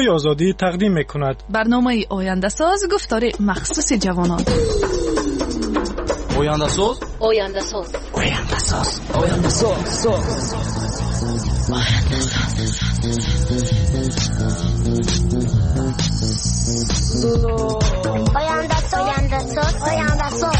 Радиои Озодӣ тақдим мекунад. Барномаи Ояндасоз, гуфтори махсуси ҷавонон. Ояндасоз, Ояндасоз, Ояндасоз, Ояндасоз, Ояндасоз, Ояндасоз, Ояндасоз, Ояндасоз.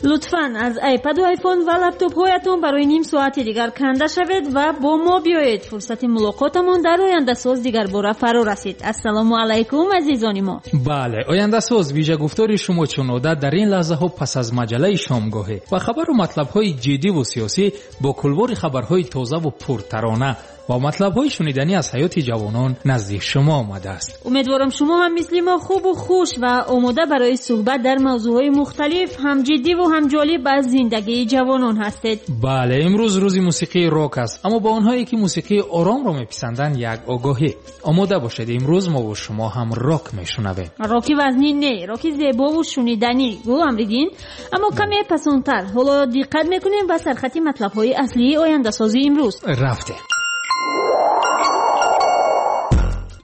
Лутфан аз iPad ва iPhone ва лаптопҳоятон барои ним соати дигар канда шавед ва бо мо биёед. Фурсати мулоқотамон дар Ояндасоз дигарбора фаро расид. Ассалому алайкум, азизони мо. Бале, Ояндасоз вижагуфтори шумо чун одат дар ин лаҳзаҳо пас аз маҷаллаи шомгоҳӣ ва хабару матлабҳои ҷиддиву сиёсӣ бо кулвори хабарҳои тозаву пуртарона ва матлабҳои шуниданӣ аз ҳаёти ҷавонон назди шумо омадааст. Умедворам, шумо ҳам мисли мо хубу хуш ва омода барои суҳбат дар мавзӯъҳои мухталиф, ҳам ҷиддиву ҳам ҷолиб аз зиндагии ҷавонон ҳастед. Бале, имрӯз рӯзи мусиқии рок аст, аммо ба онҳое ки мусиқии оромро меписанданд як огоҳӣ. Омода бошед, имрӯз мо бо шумо ҳам рок мешунавем. Роки вазнин не, роки зебову шуниданӣ, гул Амриддин, аммо каме пасонтар. Ҳоло диққат мекунем ба сархати матлабҳои аслии Ояндасози имрӯз. Рафтем.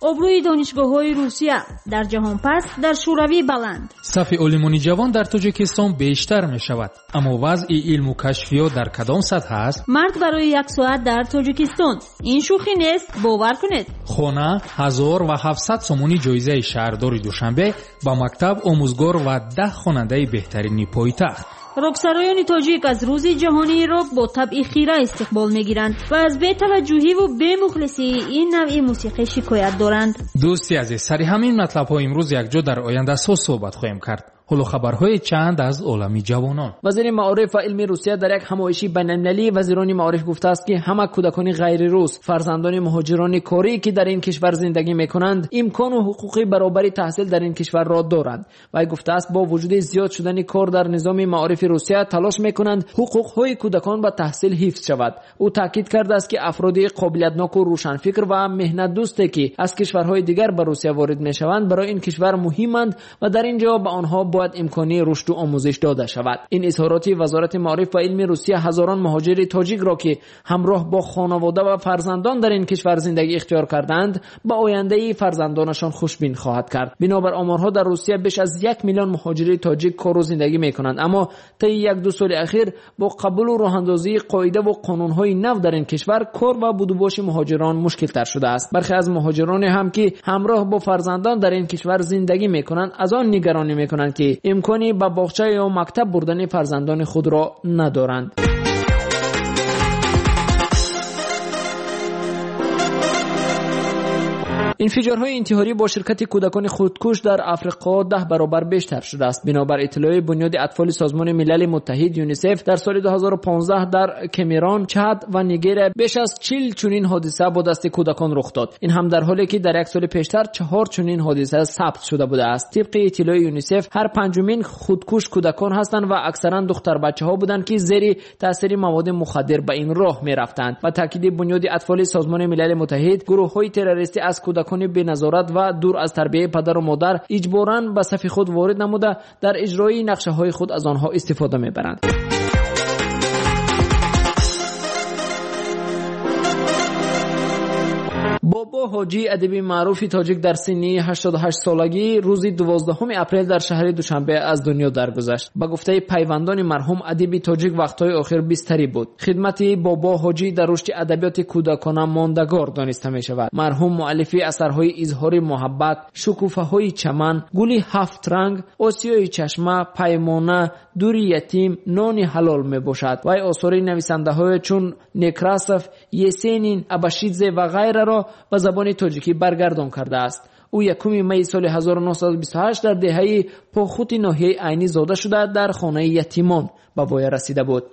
Обрӯи донишгоҳҳои Русия дар ҷаҳон паст, дар Шӯравӣ баланд. Сафи олимони ҷавон дар Тоҷикистон бештар мешавад, аммо вазъи илму кашфиёт дар кадом сатҳ аст? Марг барои як соат дар Тоҷикистон. Ин шӯхӣ нест, бовар кунед. Хона 1700 сомонӣ ҷоизаи шаҳрдори Душанбе ба мактаб, омӯзгор ва 10 хонандаи беҳтарини пойтахт. Роксароёни тоҷик аз рӯзи ҷаҳонии рок бо табъи хира истиқбол мегиранд ва аз бетаваҷҷӯҳиву бемухлисии ин навъи мусиқӣ шикоят доранд. Дӯсти азиз, сари ҳамин матлабҳо имрӯз якҷо дар Ояндасоз суҳбат хоҳем кард. Ҳоло хабарҳои чанд аз олами ҷавонон. Вазири маориф ва илми Русия дар як ҳамоиши байналмилалии вазирони маориф гуфтааст, ки ҳама кӯдакони ғайрирус, фарзандони муҳоҷирони корӣ, ки дар ин кишвар зиндагӣ мекунанд, имкону ҳуқуқи баробари таҳсил дар ин кишварро доранд. Вай гуфтааст, бо вуҷуди зиёд шудани кор дар низоми маорифи Русия талош мекунанд ҳуқуқҳои кӯдакон ба таҳсил ҳифз шавад. Ӯ таъкид кардааст, ки афроди қобилиятноку рӯшанфикр ва меҳнатдӯсте, ки аз кишварҳои дигар ба Русия ворид мешаванд, барои ин кишвар муҳиманд ва дар ин ҷо ба онҳо бояд имкони рушду омӯзиш дода шавад. Ин изҳороти вазорати маориф ва илми Русия ҳазорон муҳоҷири тоҷикро, ки ҳамроҳ бо хонавода ва фарзандон дар ин кишвар зиндагӣ ихтиёр кардаанд, ба ояндаи фарзандонашон хушбин хоҳад кард. Бинобар оморҳо дар Русия беш аз 1 миллион муҳоҷири тоҷик кору зиндагӣ мекунанд, аммо таи 1-2 соли ахир бо қабулу роҳандозии қоидаву қонунҳои нав дар ин кишвар кор ва будубоши муҳоҷирон мушкилтар шудааст. Бархе аз муҳоҷироне ҳам, ки ҳамроҳ бо фарзандон дар ин кишвар зиндагӣ мекунанд, аз он нигаронӣ мекунанд, ки имкони ба боғча ё мактаб бурдани фарзандони худро надоранд. Инфиҷорҳои интиҳорӣ бо ширкати кӯдакони худкуш дар Африқо 10 баробар бештар шудааст. Бинобар иттилои Бунёди атфоли Созмони Милали Муттаҳид ЮНИСЕФ, дар соли 2015 дар Кемерон, Чад ва Нигерия беш аз 40 чунин ҳодиса бо дасти кӯдакон рух дод. Ин ҳам дар ҳоле ки дар як соли пештар 4 чунин ҳодиса сабт шуда будааст. Тибқи иттилои ЮНИСЕФ, ҳар панҷумин худкуш кӯдакон ҳастанд ва аксаран духтарбачаҳо буданд, ки зери таъсири маводи мухаддир ба ин роҳ мерафтанд. Ба таъкиди Бунёди атфоли Созмони Милали Муттаҳид, гурӯҳҳои террористӣ аз кӯдакони беназорат ва дур аз тарбияи падару модар иҷборан ба сафи худ ворид намуда, дар иҷрои нақшаҳои худ аз онҳо истифода мебаранд. Бобо Ҳоҷӣ, адиби маъруфи тоҷик, дар синни 88 солагӣ рӯзи 12 апрел дар шаҳри Душанбе аз дунё даргузашт. Ба гуфтаи пайвандони марҳум, адиби тоҷик вақтҳои охир бистарӣ буд. Хидмати Бобо Ҳоҷӣ дар рушди адабиёти кӯдакона мондагор дониста мешавад. Марҳум муаллифи асарҳои изҳори муҳаббат, шукуфаҳои чаман, гули ҳафт ранг, осиёи чашма, паймона, дури ятим, нони ҳалол мебошад. Вай осори нависандаҳое чун Некрасов, Есенин, Абашидзе ва ғайраро ба забони тоҷикӣ баргардон кардааст. Ӯ 1 майи соли 1928 дар деҳаи Похути ноҳияи Айнӣ зода шуда, дар хонаи ятимон ба воя расида буд.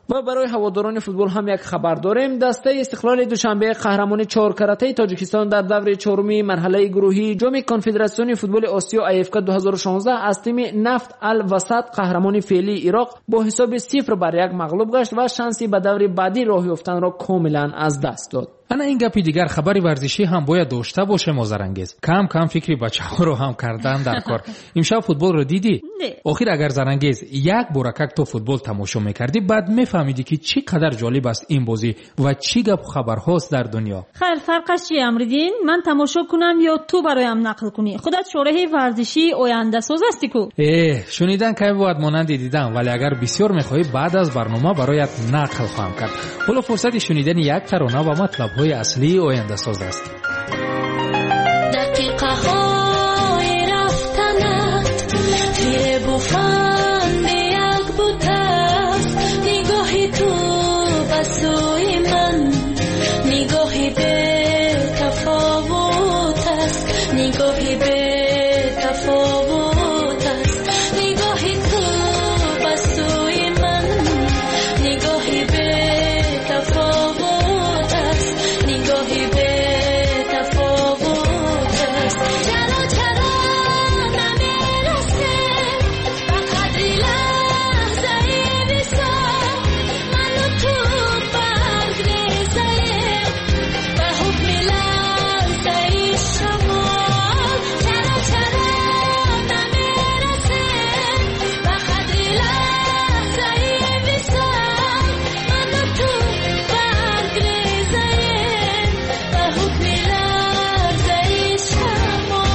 Ва барои ҳаводорони футбол ҳам як хабар дорем. Дастаи Истиқлоли Душанбе, қаҳрамони чоркаратаи Тоҷикистон, дар даври чоруми марҳалаи гурӯҳии ҷоми конфедератсиони футболи Осиё АФК 2016 аз тими Нафт Ал Васат, қаҳрамони феълии Ироқ, бо ҳисоби 0-1 мағлуб гашт ва шанси ба даври баъдӣ роҳ ёфтанро комилан аз даст дод. Ана ин гапи дигар, хабари варзишӣ ҳам бояд дошта бошем, Озарангез. Кам кам фикри бачаҳоро ҳам кардан дар кор. Имшаб футболро дидӣ? Не. Охир агар, Зарангез, як боракак то футбол тамошо мекардӣ, баъд мефаҳмидӣ, ки чӣ қадар ҷолиб аст ин бозӣ ва чӣ гапу хабарҳост дар дунё. Хайр, фарқаш чи, Амриддин, ман тамошо кунам ё ту бароям нақл кунӣ? Худат шореҳи варзишии ояндасоз ҳастӣ ку. Э, шунидан кай бувад монанди дидан, вале агар бисёр мехоҳӣ, баъд аз барнома бароят нақл хоҳам кард. Ҳоло фурсати шунидани як тарона ва матлабҳои аслии ояндасоз аст. Дақиқаҳои рафтанат фиребу фанди як бутаст. Нигоҳи ту ба сӯи ман нигоҳи бетафовут аст, нигоҳи бетафовут аст. Нигоҳи ту ба сӯи ман нигоҳи бетафовут аст, нигоҳи бетафовут аст. Чаро, чаро намерасем ба қадри лаҳзаи висол? Ману ту барг резаем ба ҳукми ларзаи шамол. Чаро, чаро намерасем ба қадри лаҳзаи висол? Ману ту барг резаем ба ҳукми ларзаи шамол.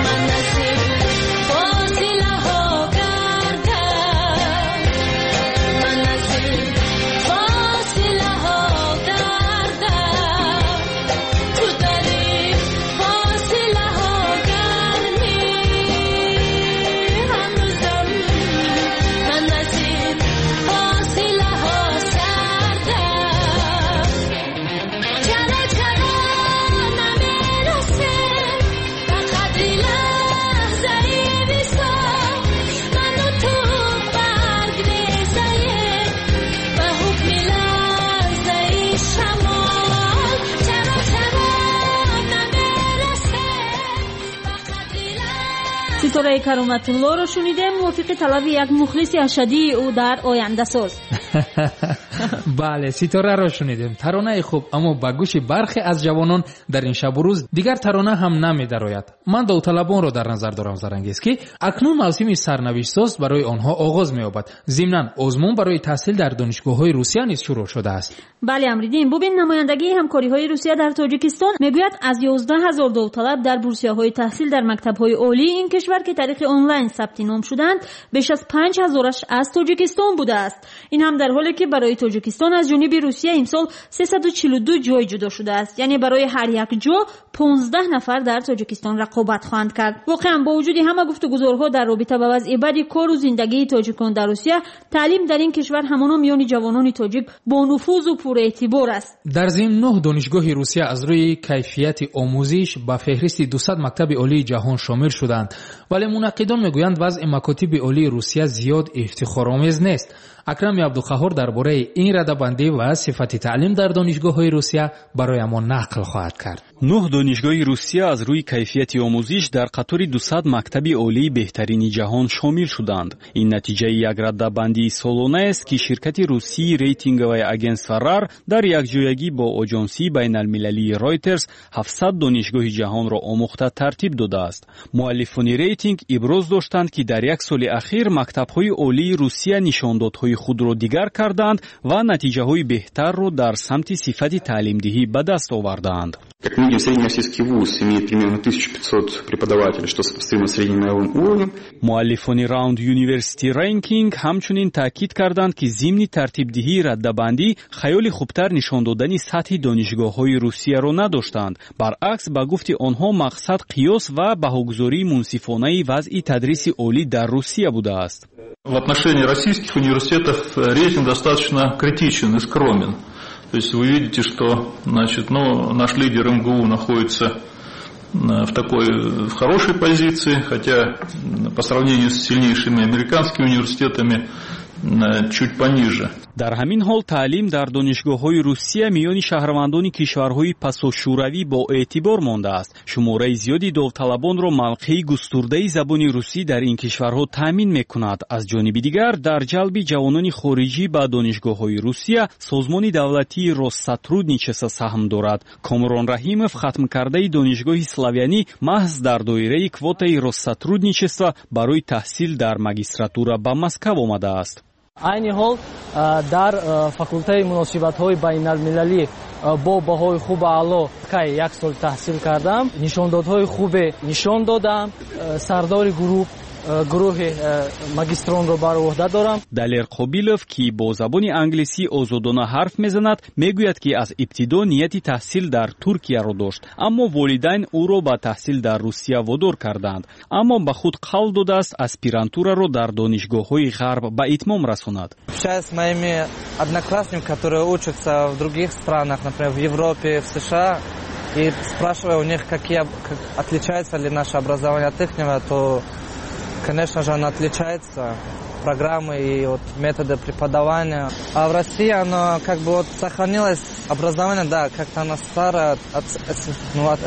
Ман аз ин фосилаҳо гардам, ман аз ин фосилаҳо гардам, ту дар ин фосилаҳо гармӣ ҳанӯзам. Ман аз ин фосилаҳо сардам. Чаро, чаро намерасем ба қадри лаҳзаи висол? Ману ту барг резаем ба ҳукми ларзаи шамол. Чаро, чаро намерасем ба қадри Ситораи Кароматуллоро шунидем, мувофиқи талаби як мухлиси ашаддии ӯ дар ояндасоз. Бале, Ситораро шунидем. Таронаи хуб, аммо ба гӯши бархе аз ҷавонон дар ин шабу рӯз дигар тарона ҳам намедарояд. Ман довталабонро дар назар дорам, Зарангез, ки акнун мавсими сарнавиштсоз барои онҳо оғоз меёбад. Зимнан озмун барои таҳсил дар донишгоҳҳои Русия низ шурӯъ шудааст. Бале, Амриддин, бубин, намояндагии ҳамкориҳои Русия дар Тоҷикистон мегӯяд, аз 11 000 довталаб дар бурсияҳои таҳсил дар мактабҳои олии ин кишвар, ки тариқи онлайн сабти ном шуданд, беш аз 5000-аш аз Тоҷикистон будааст. Ин ҳам дар ҳоле ки барои Тоҷикистон аз ҷониби Русия имсол 342 ҷой ҷудо шудааст, яъне барои ҳар як ҷо 15 нафар дар Тоҷикистон рақобат хоҳанд кард. Воқеан, бо вуҷуди ҳама гуфтугузорҳо дар робита ба вазъи бади кору зиндагии тоҷикон дар Русия, таълим дар ин кишвар ҳамоно миёни ҷавонони тоҷик бонуфузу пурэътибор аст. Дар зимн, нӯҳ донишгоҳи Русия аз рӯи кайфияти омӯзиш ба феҳристи 200 мактаби олии ҷаҳон шомил шуданд, вале мунаққидон мегӯянд, вазъи макотиби олии Русия зиёд ифтихоромез нест. Акрами Абдуқаҳҳор дар бораи ин радабандӣ ва сифати таълим дар донишгоҳҳои Русия бароямон нақл хоҳад кард. Нӯҳ донишгоҳи Русия аз рӯи кайфияти омӯзиш дар қатори 200 мактаби олии беҳтарини ҷаҳон шомил шуданд. Ин натиҷаи як раддабандии солонаест, ки ширкати русии рейтинговое агентство РАР дар якҷоягӣ бо оҷонсии байналмилалии Ройтерс 700 донишгоҳи ҷаҳонро омӯхта тартиб додааст. Муаллифони рейтинг иброз доштанд, ки дар як соли ахир мактабҳои олии Русия нишондодҳои худро дигар карданд ва натиҷаҳои беҳтарро дар самти сифати таълимдиҳӣ ба даст овардаанд. Как мы видим, средний российский вуз имеет примерно 1500 преподавателей, что сопоставимо с средним мировым уровнем. Муаллифони Round University Ranking ҳамчунин таъкид карданд, ки зимни тартибдиҳии раддабандӣ хаёли хубтар нишон додани сатҳи донишгоҳҳои Русияро надоштанд. Баръакс, ба гуфти онҳо, мақсад қиёс ва баҳогузории мунсифонаи вазъи тадриси олӣ дар Русия будааст. В отношении российских университетов рейтинг достаточно критичен и скромен. То есть вы видите, что, значит, ну, наш лидер МГУ находится в хорошей позиции, хотя по сравнению с сильнейшими американскими университетами чуть пониже. Дар ҳамин ҳол таълим дар донишгоҳҳои Русия миёни шаҳрвандони кишварҳои пасошӯравӣ бо эътибор мондааст. Шумораи зиёди довталабонро мавқеи густурдаи забони русӣ дар ин кишварҳо таъмин мекунад. Аз ҷониби дигар, дар ҷалби ҷавонони хориҷӣ ба донишгоҳҳои Русия созмони давлатии Россотрудничество саҳм дорад. Комрон Раҳимов, хатмкардаи донишгоҳи славянӣ, маҳз дар доираи квотаи Россотрудничество барои таҳсил дар магистратура ба Москав омадааст. Айни ҳол дар факултаи муносибатҳои байналмилалӣ бо баҳои хуб аъло кай як сол таҳсил кардам, нишондодҳои хубе нишон додам, сардори гурӯҳи магистронро бар уҳда дорам. Далер Қобилов, ки бо забони англисӣ озодона ҳарф мезанад, мегӯяд, ки аз ибтидо нияти таҳсил дар Туркияро дошт, аммо волидайн ӯро ба таҳсил дар Русия водор карданд. Аммо ба худ қавл додааст аспирантураро дар донишгоҳҳои ғарб ба итмом расонад. Общаюсь с моими одноклассниками, которые учатся в других странах, например, в Европе, в США, и спрашиваю у них, отличается ли наше образование от ихнего, то, конечно же, оно отличается, программы и вот методы преподавания. А в России оно как бы вот сохранилось образование, да, как-то оно старое от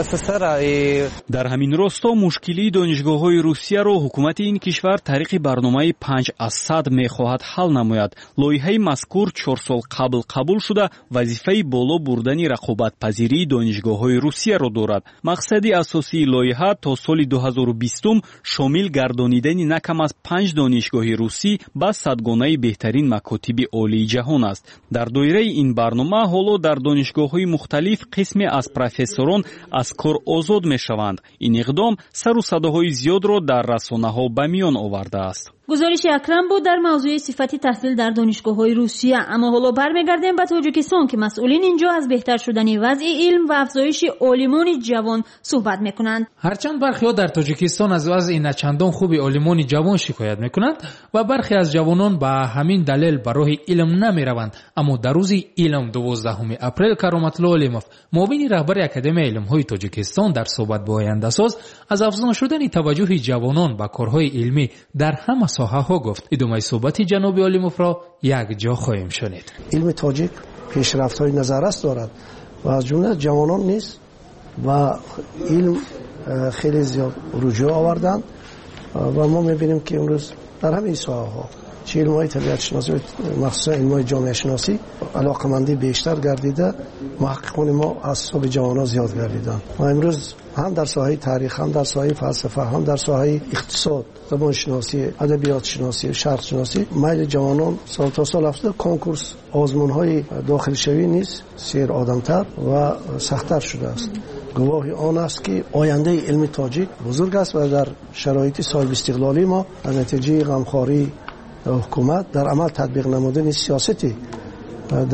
СССР. И дар ҳамин росто мушкилии донишгоҳҳои Русияро ҳукумати ин кишвар тариқи барномаи 5 аз 100 мехоҳад ҳал намояд. Лоиҳаи мазкур 4 сол қабл қабул шуда, вазифаи боло бурдани рақобатпазирии донишгоҳҳои Русияро дорад. Мақсади асосии лоиҳа то соли 2020 шомил гардонидани на кам аз панҷ донишгоҳи русӣ ба садгонаи беҳтарин макотиби олии ҷаҳон аст. Дар доираи ин барнома ҳоло дар донишгоҳҳои мухталиф қисме аз профессорон аз кор озод мешаванд. Ин иқдом сару садоҳои зиёдро дар расонаҳо ба миён овардааст. Гузориши Акрам буд дар мавзӯи сифати таҳсил дар донишгоҳҳои Русия. Аммо ҳоло бармегардем ба Тоҷикистон, ки масъулин инҷо аз беҳтар шудани вазъи илм ва афзоиши олимони ҷавон суҳбат мекунанд. Ҳарчанд бархеҳо дар Тоҷикистон аз вазъи начандон хуби олимони ҷавон шикоят мекунанд ва бархе аз ҷавонон ба ҳамин далел ба роҳи илм намераванд, аммо дар рӯзи илм, 12 апрел, Кароматулло Олимов, муовини раҳбари Академияи илмҳои Тоҷикистон, дар суҳбат бо Ояндасоз аз афзун шудани таваҷҷӯҳи ҷавонон ба корҳои илмӣ дар ҳама соҳаҳо гуфт. Идомаи суҳбати ҷаноби Олимовро якҷо хоҳем шунид. Илми тоҷик пешрафтҳои назаррас дорад ва аз ҷумла ҷавонон низ ба илм хеле зиёд руҷӯъ оварданд ва мо мебинем, ки имрӯз дар ҳамаи соҳаҳо, чи илмҳои табиатшиносӣ, махсусан илмҳои ҷомеашиносӣ, алоқамандӣ бештар гардида, муҳаққиқони мо аз ҳисоби ҷавонон зиёд гардиданд ва имрӯз ҳам дар соҳаи таърих, ҳам дар соҳаи фалсафа, ҳам дар соҳаи иқтисод, забоншиносӣ, адабиётшиносӣ, шарқшиносӣ майли ҷавонон сол то сол афзуда, конкурс, озмунҳои дохилшавӣ низ серодамтар ва сахттар шудааст. Гувоҳи он аст, ки ояндаи илми тоҷик бузург аст ва дар шароити соҳибистиқлолии мо аз натиҷаи ғамхории ҳукумат дар амал татбиқ намудани сиёсати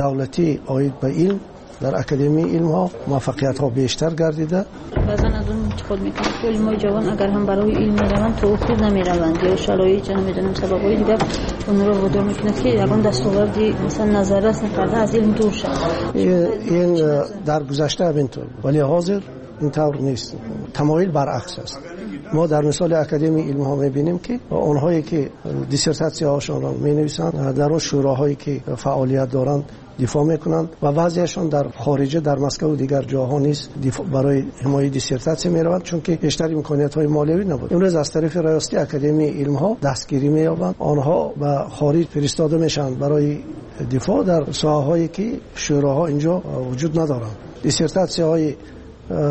давлатӣ оид ба илм дар Академияи илмҳо муваффақиятҳо бештар гардида. Баъзан аз он интиқод мекунад, ки олимои ҷавон агар ҳам барои илм мераванд, то охир намераванд ё шароит, намедонам, сабабҳои дигар онро водор мекунад, ки ягон дастоварди масалан назаррас накарда аз илм дур шавад. Ин дар гузашта ҳаминтур, вале ҳозир ин тавр нест, тамоил баръакс аст. Мо дар мисоли Академияи илмҳо мебинем, ки онҳое ки диссертатсияҳошонро менависанд, дар он шӯроҳое ки фаъолият доранд дифоъ мекунанд ва баъзеашон дар хориҷа, дар Москаву дигар ҷоҳо низ барои ҳимояи диссертатсия мераванд, чунки бештар имкониятҳои молиявӣ набуд. Имрӯз аз тарафи раёсати Академияи илмҳо дастгирӣ меёбанд, онҳо ба хориҷ фиристода мешаванд барои дифоъ дар соҳаҳое ки шӯроҳо инҷо вуҷуд надоранд. Диссертатсияҳои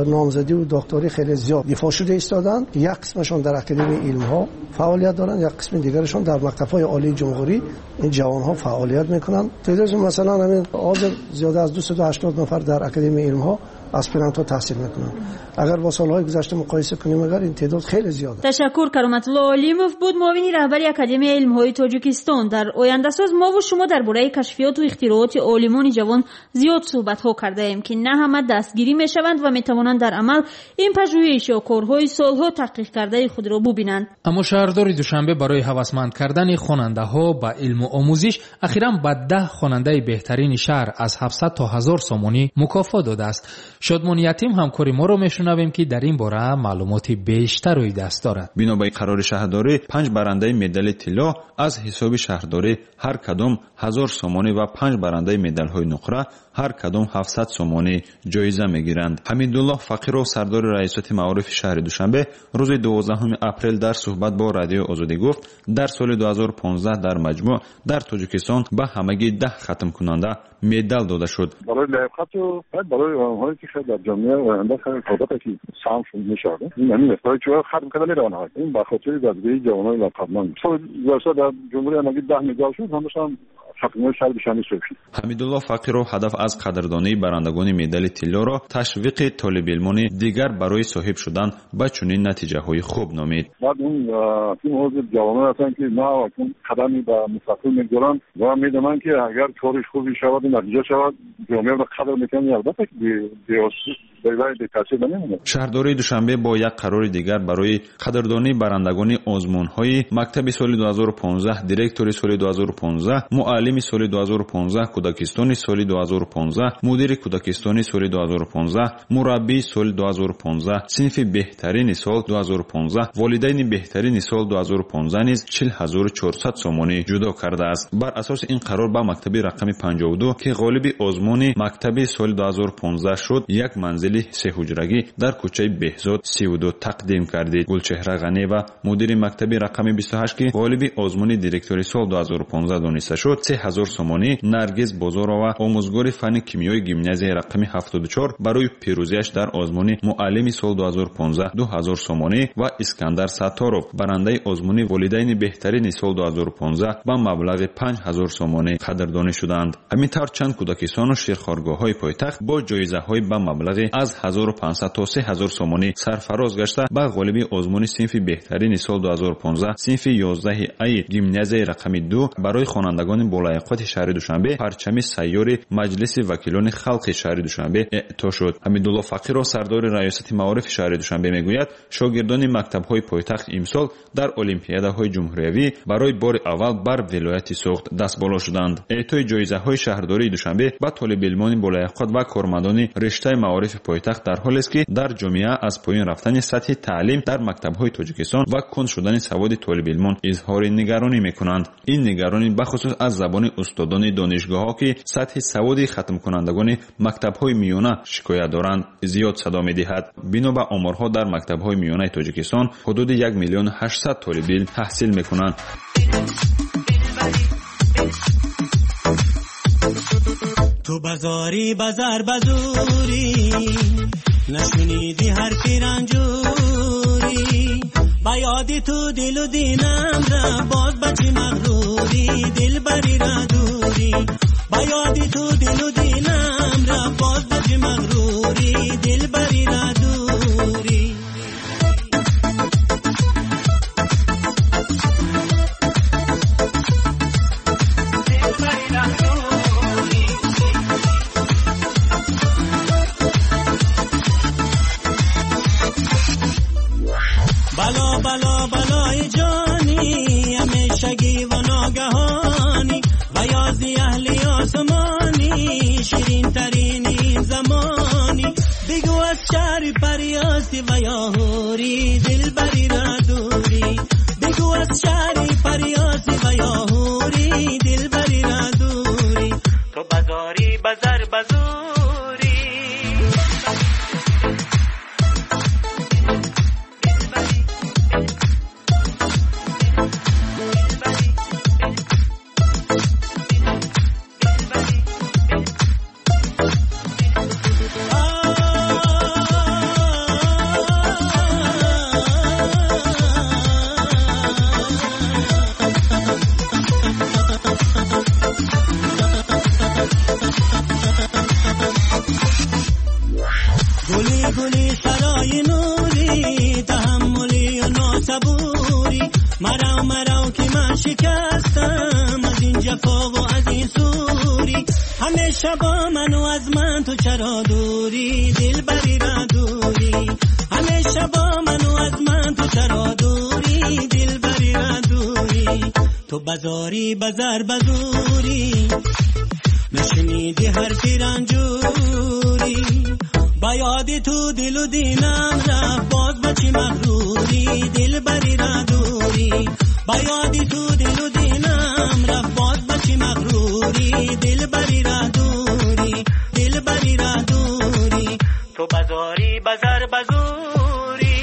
номзадиву докторӣ хеле зиёд дифоъ шуда истоданд. Як қисмашон дар Академияи илмҳо фаъолият доранд, як қисми дигарашон дар мактабҳои олии ҷумҳурӣ ин ҷавонҳо фаъолият мекунанд. Теъдодшон масалан ҳамин ҳозир зиёда аз 280 нафар дар Академияи илмҳо аспирантҳо таҳсил мекунанд. Агар бо солҳои гузашта муқоиса кунем, агар ин теъдод хеле зиёд аст. Ташаккур. Кароматулло Олимов буд, муовини раҳбари Академияи илмҳои Тоҷикистон. Дар Ояндасоз мову шумо дар бораи кашфиёту ихтирооти олимони ҷавон зиёд суҳбатҳо кардаем, ки на ҳама дастгирӣ мешаванд ва метавонанд дар амал ин пажӯҳиш ё корҳои солҳо таҳқиқ кардаи худро бубинанд. Аммо шаҳрдори Душанбе барои ҳавасманд кардани хонандаҳо ба илму омӯзиш ахиран ба 10 хонандаи беҳтарини шаҳр аз 700 то 1000 сомонӣ мукофот додааст. Шодмони Ятим ҳамкори моро мешунавем, ки дар ин бора маълумоти бештар рӯи даст дорад. Бино ба қарори шаҳрдорӣ, 5 барандаи медали тилло аз ҳисоби шаҳрдорӣ ҳар кадом 1000 сомонӣ ва 5 барандаи медалҳои нуқра ҳар кадом 700 сомонӣ ҷоиза мегиранд. Ҳамидуллоҳ Фақиров, сардори раёсати маорифи шаҳри Душанбе, рӯзи 12 апрел дар суҳбат бо Радиои Озодӣ гуфт, дар соли 2015 дар маҷмӯъ дар Тоҷикистон ба ҳамагӣ 10 хатмкунанда медал дода шуд. Барои лаёқату барои онҳое ки дар ҷомеа оянда қобилияте ки саҳм мешавад, ин ҳамин аст. Барои чӣ хатм карда мераванд? Ин ба хотири дастгирии ҷавонони лаёқатманд. Соли гузашта дар ҷумҳурӣ ҳамагӣ 10 медал шуд, ҳамашам хатмҳои шаҳри Душанбе шуд. Ҳамидуллоҳ Фақиров ҳадаф аз қадрдонии барандагони медали тиллоро ташвиқи толибилмони дигар барои соҳиб шудан ба чунин натиҷаҳои хуб номид. Баъд он ҳозир ҷавонон ҳастанд, ки нав акнун қадами ба мустақил мегузоранд ва медонанд, ки агар кори хуби шавад ва натиҷа шавад, ҷомеаро қадр мекунанд. Албатта бетаъсир намемонад. Шаҳрдории Душанбе бо як қарори дигар барои қадрдонии барандагони озмунҳои мактаби соли 2015, директори соли 2015, муаллими соли 2015, кӯдакистони соли 2015, мудири кӯдакистони соли 2015, мураббии соли 2015, синфи беҳтарини сол 2015, волидайни беҳтарини сол 2015 низ 40400 сомонӣ ҷудо кардааст. Бар асоси ин қарор ба мактаби рақами 52, ки ғолиби озмуни мактаби соли 2015 шуд, як манзили сеҳуҷрагӣ дар кӯчаи Беҳзод 32 тақдим кардид. Гулчеҳра Ғанева, мудири мактаби рақами 28, ки ғолиби озмуни директори сол 2015 дониста шуд, 3000 сомонӣ. Наргиз Бозорова, омӯзгори фанни кимиёи гимназияи рақами 74, барои пирӯзиаш дар озмуни муаллими сол 2015 2000 сомонӣ ва Искандар Сатторов, барандаи озмуни волидайни беҳтарини сол 2015, ба маблағи 5000 сомонӣ қадрдонӣ шуданд. Ҳамин тавр чанд кӯдакистону ширхоргоҳҳои пойтахт бо ҷоизаҳои ба маблағи аз 1500 то 3000 сомонӣ сарфароз гашта, ба ғолиби озмуни синфи беҳтарини сол 2015, синфи 11 аи гимназияи рақами 2 барои хонандагони болаёқати шаҳри Душанбе парчами сайёри Маҷлиси вакилони халқи шаҳри Душанбе эъто шуд. Ҳамидуллоҳ Фақиров, сардори раёсати маорифи шаҳри Душанбе, мегӯяд, шогирдони мактабҳои пойтахт имсол дар олимпиадаҳои ҷумҳуриявӣ барои бори аввал бар вилояти Суғд дастболо шуданд. Эътои ҷоизаҳои шаҳрдории Душанбе ба толибилмони болаёқат ва кормандони риштаи маорифи пойтахт дар ҳолест, ки дар ҷомеа аз поён рафтани сатҳи таълим дар мактабҳои Тоҷикистон ва кунд шудани саводи толибилмон изҳори нигаронӣ мекунанд. Ин нигаронӣ бахусус аз забони устодони донишгоҳҳо, ки сатҳи саводи хатмкунандагони мактабҳои миёна шикоят доранд, зиёд садо медиҳад. Бино ба оморҳо, дар мактабҳои миёнаи Тоҷикистон ҳудуди 1 800 000 толибилм таҳсил мекунанд. تو بازاری بازار بازوری نشنیدی حرفی رنجوری با یادی تو دل و دینم را باز بچی مغروری دل بری را دوری با یادی تو دل و دینم را باز بچی مغروری دل بری را دوری. بلا بلا بلای جانی همیشگی و ناگهانی و یازی اهلی آسمانی شیرین ترین این زمانی بگو از شهر پریاسی و یا حوری دل بری را دوری بگو از شهر پریاسی و یا حوری دل بری را دوری تو بازاری بازار بازوری. همیشه با من و از من تو چرا دوری دل بری را دوری همیشه با من و از من تو چرا دوری دل بری را دوری تو بازاری بازار بازوری نشنیدی حرفی رنجوری با Ба ёди ту дилу динам рафт боз ба чӣ мағрурӣ дилбарӣ ра дурӣ ба ёди ту дилу динам рафт боз ба чӣ мағрурӣ дилбарӣ ра дурӣ дилбарӣ ра дурӣ ту базорӣ базар базурӣ.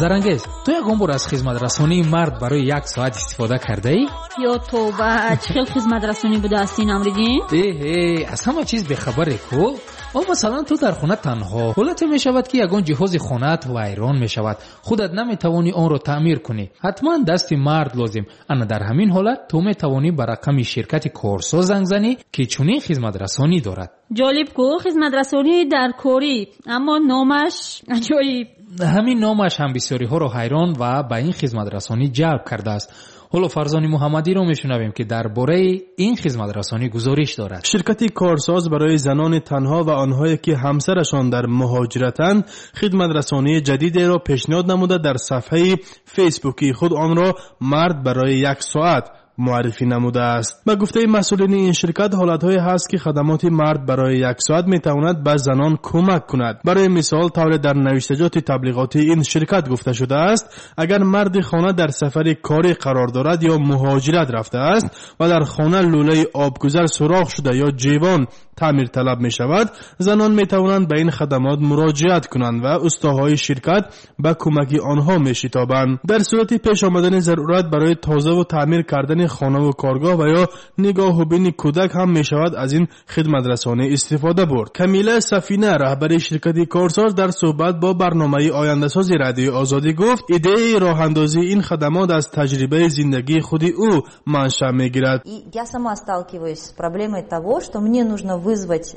Зарангез, ту ягон бор аз хизматрасонии мард барои як соат истифода кардаӣ? Ё тавба, чӣ хел хизматрасонӣ будааст ин, Амриддин? Эҳе, аз ҳама чиз бехабаре ку. О, масалан, ту дар хона танҳо. Ҳолате мешавад, ки ягон ҷиҳози хонаат вайрон мешавад. Худат наметавонӣ онро таъмир кунӣ. Ҳатман дасти мард лозим. Ана дар ҳамин ҳолат ту метавонӣ ба рақами ширкати корсоз занг занӣ, ки чунин хизматрасонӣ дорад. Ҷолиб ку, хизматрасонӣ дар корӣ, аммо номаш аҷоиб. Ҳамин номаш ҳам бисёриҳоро ҳайрон ва ба ин хизматрасонӣ ҷалб кардааст. Ҳоло Фарзони Муҳаммадиро мешунавем, ки дар бораи ин хизматрасонӣ гузориш дорад. Ширкати корсоз барои занони танҳо ва онҳое ки ҳамсарашон дар муҳоҷиратанд хидматрасонии ҷадидеро пешниҳод намуда дар сафҳаи фейсбукии худ онро мард барои як соат муаррифӣ намудааст. Ба гуфтаи масъулини ин ширкат, ҳолатҳое ҳаст, ки хадамоти мард барои як соат метавонад ба занон кӯмак кунад. Барои мисол, тавре дар навиштаҷоти таблиғотии ин ширкат гуфта шудааст, агар марди хона дар сафари корӣ қарор дорад ё муҳоҷират рафтааст ва дар хона лӯлаи обгузар сурох шуда ё ҷивон таъмирталаб мешавад, занон метавонанд ба ин хадамот муроҷиат кунанд ва устоҳои ширкат ба кӯмаки онҳо мешитобанд. Дар сурати пеш омадани зарурат барои тозаву таъмир кардани хонаву коргоҳ ва ё нигоҳубини кӯдак ҳам мешавад аз ин хидматрасонӣ истифода бурд. Камила Сафина, раҳбари ширкати корсоз, дар суҳбат бо барномаи ояндасози Радиои Озодӣ гуфт, идеяи роҳандозии ин хадамот аз таҷрибаи зиндагии худи ӯ маншаъ мегирад. Я сама сталкиваюсь с проблемой того, что мне нужно вызвать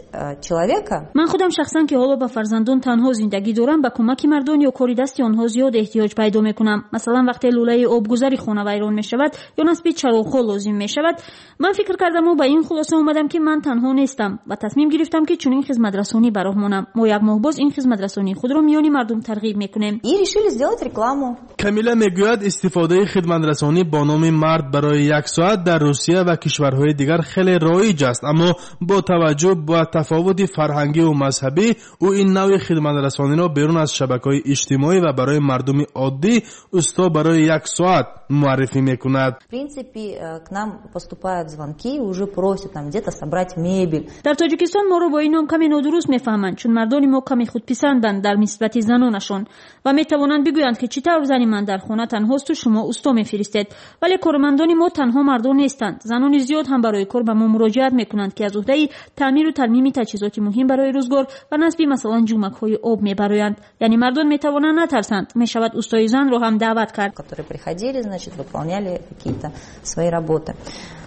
человека. Ман худам шахсан, ки ҳоло ба фарзандон танҳо зиндагӣ дорам, ба кӯмаки мардон ё кори дасти онҳо зиёд эҳтиёҷ пайдо мекунам. Масалан, вақте лӯлаи обгузари хона вайрон мешавад ё насби чароғҳо лозим мешавад, ман фикр кардаму ба ин хулоса омадам, ки ман танҳо нестам ва тасмим гирифтам, ки чунин хизматрасонӣ ба роҳ монам. Мо як моҳ боз ин хизматрасонии худро миёни мардум тарғиб мекунем. И решили сделать рекламу. Камила мегӯяд, истифодаи хидматрасонӣ бо номи мард барои як соат дар Русия ва кишварҳои дигар хеле роиҷ аст, аммо бо таваҷҷӯҳ ба тафовути фарҳангиву мазҳабӣ ӯ ин навъи хидматрасониро берун аз шабакаҳои иҷтимоӣ ва барои мардуми оддӣ усто барои як соат муаррифӣ мекунад. В принципе, к нам поступают звонки, уже просят там где-то собрать мебель. Дар Тоҷикистон моро бо ин ном каме нодуруст мефаҳманд, чун мардони мо каме худписанданд дар нисбати занонашон ва метавонанд бигӯянд, ки чӣ тавр зани ман дар хона танҳосту шумо усто мефиристед. Вале кормандони мо танҳо мардон нестанд. Занони зиёд ҳам барои кор ба мо муроҷиат мекунанд, ки аз уҳдаи таъмиру тармими таҷҳизоти муҳим барои рӯзгор ва насби масалан ҷумакҳои об мебароянд. Яъне мардон метавонанд натарсанд, мешавад устои занро ҳам даъват кард. Которые приходили, значит, выполняли какие-то свои работы.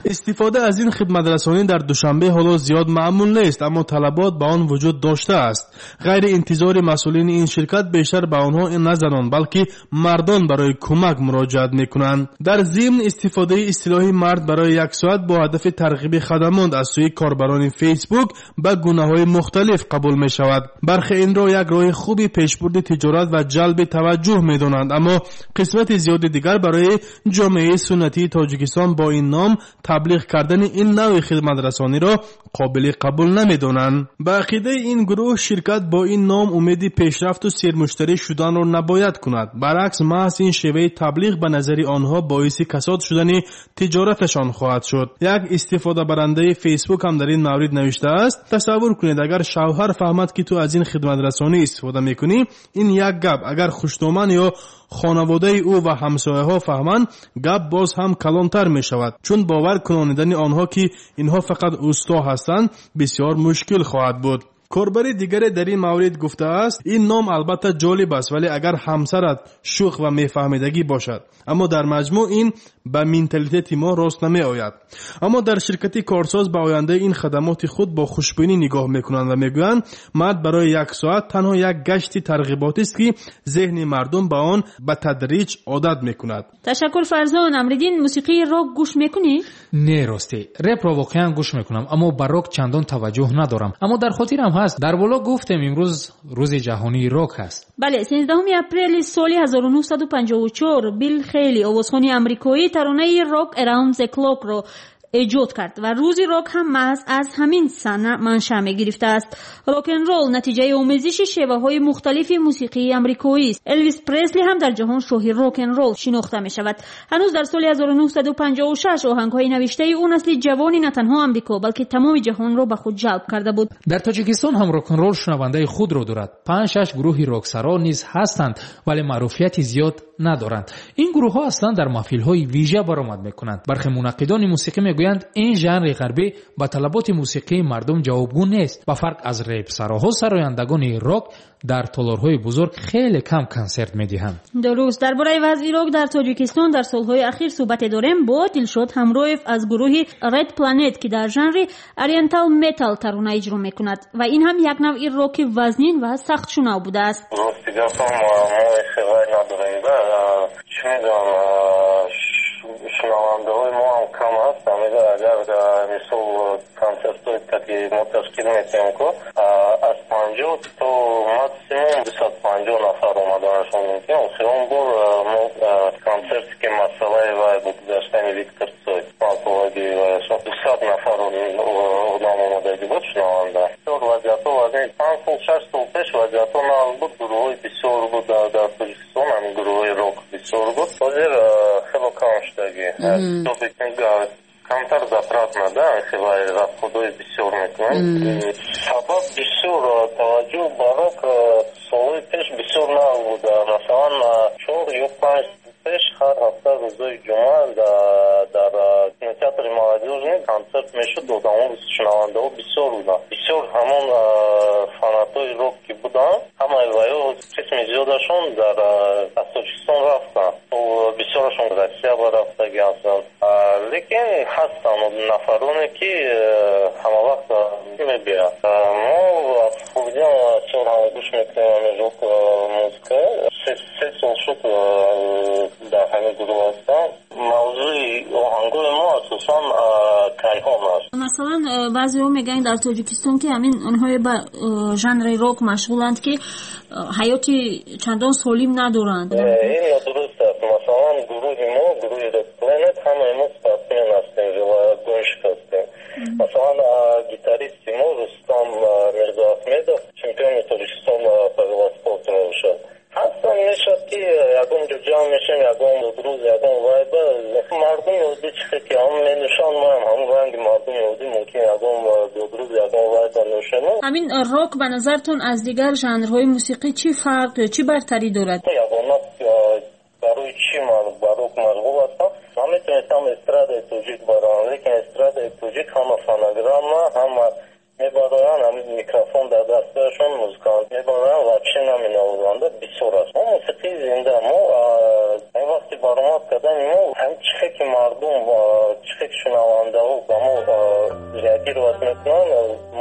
Истифода аз ин хидматрасонӣ дар Душанбе ҳоло зиёд маъмул нест, аммо талабот ба он вуҷуд доштааст. Ғайри интизори масъулини ин ширкат бештар ба онҳо на занон, балки мардон барои кӯмак муроҷиат мекунанд. Дар зимн, истифодаи истилоҳи мард барои як соат бо ҳадафи тарғиби хадамот аз сӯи корбарони Фейсбук ба гунаҳои мухталиф қабул мешавад. Бархе инро як роҳи хуби пешбурди тиҷорат ва ҷалби таваҷҷӯҳ медонанд, аммо қисмати зиёди дигар барои ҷомеаи суннатии Тоҷикистон бо ин ном таблиғ кардани ин навъи хидматрасониро қобили қабул намедонанд. Ба ақидаи ин гурӯҳ, ширкат бо ин ном умеди пешрафту сермуштарӣ шуданро набояд кунад. Баръакс, маҳз ин шеваи таблиғ ба назари онҳо боиси касод шудани тиҷораташон хоҳад шуд. Як истифодабарандаи Фейсбук ҳам дар ин маврид навиштааст: тасаввур кунед, агар шавҳар фаҳмад, ки ту аз ин хидматрасонӣ истифода мекунӣ, ин як гап, агар хушдоман ё хонаводаи ӯ ва ҳамсояҳо фаҳманд, гап боз ҳам калонтар мешавад, чун бовар кунонидани онҳо, ки инҳо фақат усто ҳастанд, бисёр мушкил хоҳад буд. Корбари дигаре дар ин маврид гуфтааст, ин ном албатта ҷолиб аст, вале агар ҳамсарат шӯх ва мефаҳмидагӣ бошад, аммо дар маҷмӯъ ин ба менталитети мо рост намеояд. Аммо дар ширкати корсоз ба ояндаи ин хадамоти худ бо хушбинӣ нигоҳ мекунанд ва мегӯянд, мард барои як соат танҳо як гашти тарғиботист, ки зеҳни мардум ба он ба тадриҷ одат мекунад. Ташаккур, Фарзон. Амриддин, мусиқии рок гӯш мекунӣ? Не, ростӣ репро воқеан гӯш мекунам, аммо ба рок чандон таваҷҷӯҳ надорам. Аммо дар хотирам ҳаст, дар боло гуфтем, имрӯз рӯзи ҷаҳонии рок ҳаст. Бале, 13 апрели соли 1954 Билл Хейли, овозхони амрикоӣ, таронаи Rock Around the Clock-ро эҷод кард ва рӯзи рок ҳам маҳз аз ҳамин сана маншаъ мегирифтааст. Рок-н-ролл натиҷаи омезиши шеваҳои мухталифи мусиқии амрикоист. Элвис Пресли ҳам дар ҷаҳон шоҳи рок-н-ролл шинохта мешавад. Ҳанӯз дар соли 1956 оҳангҳои навиштаи ӯ насли ҷавони на танҳо Амрико, балки тамоми ҷаҳонро ба худ ҷалб карда буд. Дар Тоҷикистон ҳам рок-н-ролл шунавандаи худро дорад. 5-6 гурӯҳи роксаро низ ҳастанд, вале маъруфияти зиёд надоранд. Ин гурӯҳҳо аслан дар маҳфилҳои вижа баромад мекунанд. Бархе мунаққидони мусиқӣ мегӯянд, ин жанри ғарбӣ ба талаботи мусиқии мардум ҷавобгӯ нест. Ба фарқ аз репсароҳо, сарояндагони рок дар толорҳои бузург хеле кам консерт медиҳанд. Дуруст. Дар бораи вазъи рок дар Тоҷикистон дар солҳои ахир суҳбате дорем бо Дилшод Ҳамроев аз гурӯҳи Red Planet, ки дар жанри Oriental Metal тарона иҷро мекунад ва ин ҳам як навъи роки вазнин ва сахтшунав будааст. Рости гапам, мо хеле надорем, да, чӣ медонам, шунавандаҳои мо ҳам кам аст. Агар мисол консертҳое ки мо ташкил метиҳем, ку аз 50 то максимум 250 нафар омаданашон мумкин. Охирон бор мо консерте ки масъалаи вай буд, гаштани Виктор Цой, панҷсолагии вайашон, 200 нафар одам омадагӣ буд шунаванда. Бисёр вазъиятҳо вазъи 5 сол, 6 сол пеш вазъиятҳо нағз буд, гурӯҳҳои бисёр буд дар Тоҷикистон, ҳамин гурӯҳҳои рок бисёр буд. Ҳозир хело кам шудагӣ, камтар затратно, да, хеле расходҳои бисёр мекунанд. Сабаб бисёр таваҷҷӯҳ ба рок солҳои пеш бисёр нағз буд. Масалан, 4 ё 5 сол пеш ҳар ҳафта рӯзои ҷумъа дар кинотеатри Молодёжный консерт мешуд, одамо, шунавандаҳо бисёр буданд. Бисёр ҳамон фанатҳои рок ки буданд, ҳамаи ваё қисми зиёдашон дар аз Тоҷикистон рафтанд, бисёрашон Россия ба рафтагӣ ҳастанд. Лекин ҳастанд нафароне ки ҳамавақт мебиёянд. Мо аз хурдиам бисёр ҳам гӯш мекунем ҳамин рок музыка. 3 сол шуд дар ҳамин гурӯҳ ҳастам. Мавзӯи оҳангои мо асосан кайҳон аст. Масалан, баъзеҳо мегӯянд дар Тоҷикистон, ки ҳамин онҳое ба жанри рок машғуланд, ки ҳаёти чандон солим надоранд. Ин нодуруст аст. Масалан, гурӯҳи мо, гурӯҳи Red Planet, ҳамаи мо спортсмен ҳастем, велогонщик ҳастем. Масалан, гитаристи мо Рустам Мирзоахмедов чемпиони Тоҷикистон по велоспорту мебошад. Ҳастан, мешавад ки ягон ҷо ҷамъ мешавем, ягон рӯз, ягон вайба, мардуми оддӣ чихе ки ҳам менӯшанд, моам ҳамон ранги мардуми оддӣ мумкин ягон рӯз, ягон вайба нӯшем. Ҳамин рок ба назартон аз дигар жанрҳои мусиқӣ чӣ фарқ ё чӣ бартарӣ дорад? Ягона барои чӣ ман ба рок машғул ҳастам? Ман метавонистам эстрадаи тоҷик бароям, лекин эстрадаи тоҷик ҳама фонограмма, ҳама мебароянд, ҳамин микрофон дар дасташон, музыкант мебароянд, вообще наменавозанда бисёр аст. Мо мусиқии зинда, мо ин вақти баромад кардани мо ҳамин чихе ки мардум, чихе ки шунавандаҳо ба мо реагировать мекунанд,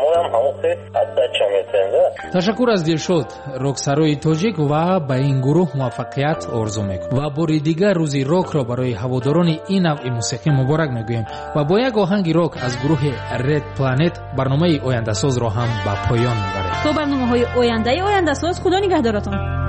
моям ҳамон хел отдача метиҳем, да. Ташаккур аз Дилшод, роксарои тоҷик, ва ба ин гурӯҳ муваффақият орзу мекунем ва бори дигар рӯзи рокро барои ҳаводорони ин навъи мусиқӣ муборак мегӯем ва бо як оҳанги рок аз гурӯҳи Red Planet барномаи ояндасозро ҳам ба поён мебарем. То барномаҳои ояндаи Ояндасоз, худо нигаҳдоратон.